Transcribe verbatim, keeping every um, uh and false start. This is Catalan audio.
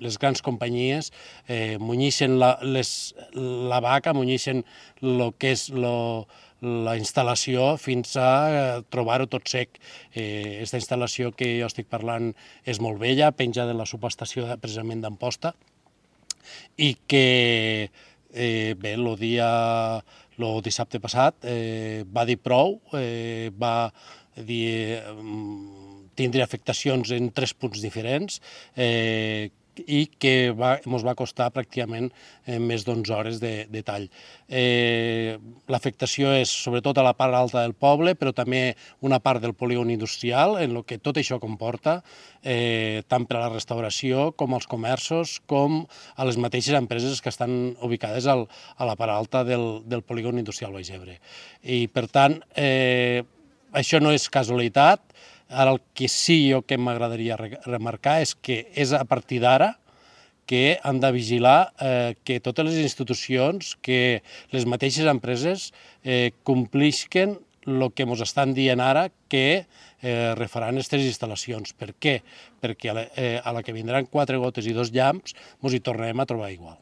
les grans companyies eh, munyixen la, les, la vaca, munyixen el que és lo, la instal·lació fins a eh, trobar-ho tot sec. Aquesta eh, instal·lació que jo estic parlant és molt vella, penja de la subestació precisament d'Amposta, i que eh, bé, el dia, el dissabte passat eh, va dir prou, eh, va dir, tindre afectacions en tres punts diferents, eh, i que va, ens va costar pràcticament eh, més d'onze hores de, de tall. Eh, L'afectació és sobretot a la part alta del poble, però també una part del polígon industrial, en el que tot això comporta, eh, tant per a la restauració com als comerços, com a les mateixes empreses que estan ubicades al, a la part alta del, del polígon industrial Baix Ebre. I, per tant, eh, això no és casualitat. Ara el que sí jo que m'agradaria remarcar és que és a partir d'ara que han de vigilar eh, que totes les institucions, que les mateixes empreses eh, complisquen el que ens estan dient ara que eh, refaran aquestes instal·lacions. Per què? Perquè a la, eh, a la que vindran quatre gotes i dos llamps ens hi tornarem a trobar igual.